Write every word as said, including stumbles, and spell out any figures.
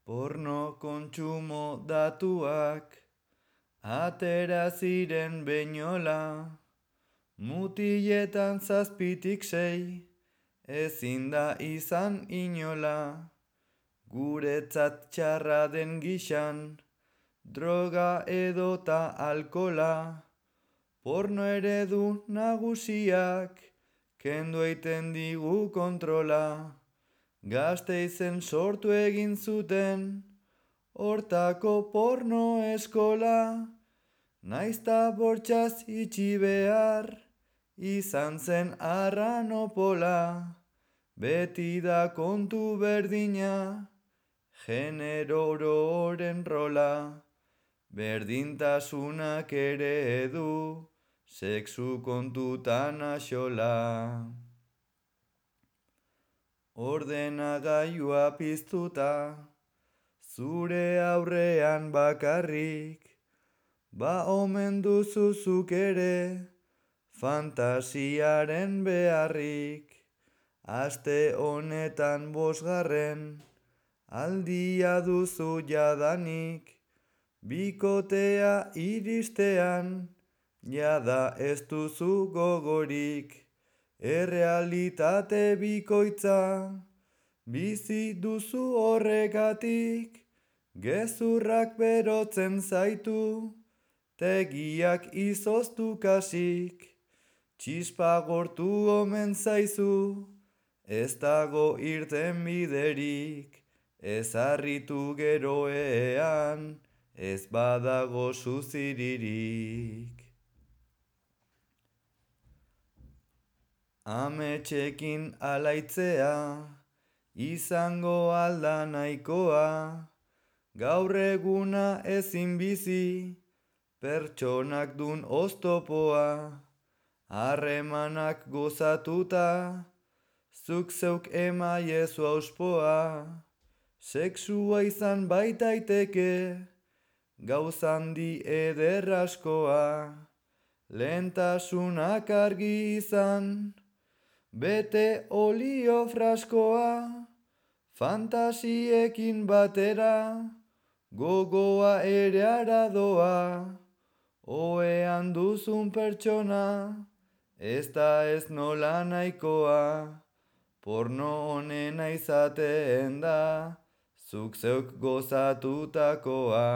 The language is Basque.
Porno kontsumo datuak atera ziren beinola, mutiletan zazpitik sei, ezin da izan inola. Guretzat txarra den gixan, droga edota alkola, porno eredu nagusiak, kendu eiten digu kontrola. Gasteizen sortu egin zuten, hortako porno eskola, naizta bortxaz itxi behar, izan zen arranopola, beti da kontu berdina, genero ororen rola, berdintasunak ere du, sexu kontutan axola. Ordenagailua piztuta, zure aurrean bakarrik, ba omen duzu zuk ere, fantasiaren beharrik. Aste honetan bosgarren, aldia duzu jadanik, bikotea iristean, jada ez duzu gogorik. Errealitate bikoitza, bizi duzu horregatik, gezurrak berotzen zaitu, tegiak izoztu kasik, txispa gortu omen zaizu, ez dago irten biderik, ez harritu geroean, ez badago suziririk. Ametxekin alaitzea, izango alda nahikoa, gaur eguna ezin bizi, pertsonak dun oztopoa, harremanak gozatuta, zuk zeuk emaiezu auspoa, sexua izan baitaiteke, gauzandi eder askoa, lehentasunak argi izan, bete olio fraskoa, fantasiekin batera, gogoa ere aradoa, ohean duzun pertsona, ez da ez nola nahikoa, porno honena izaten da, zuk zeuk gozatutakoa.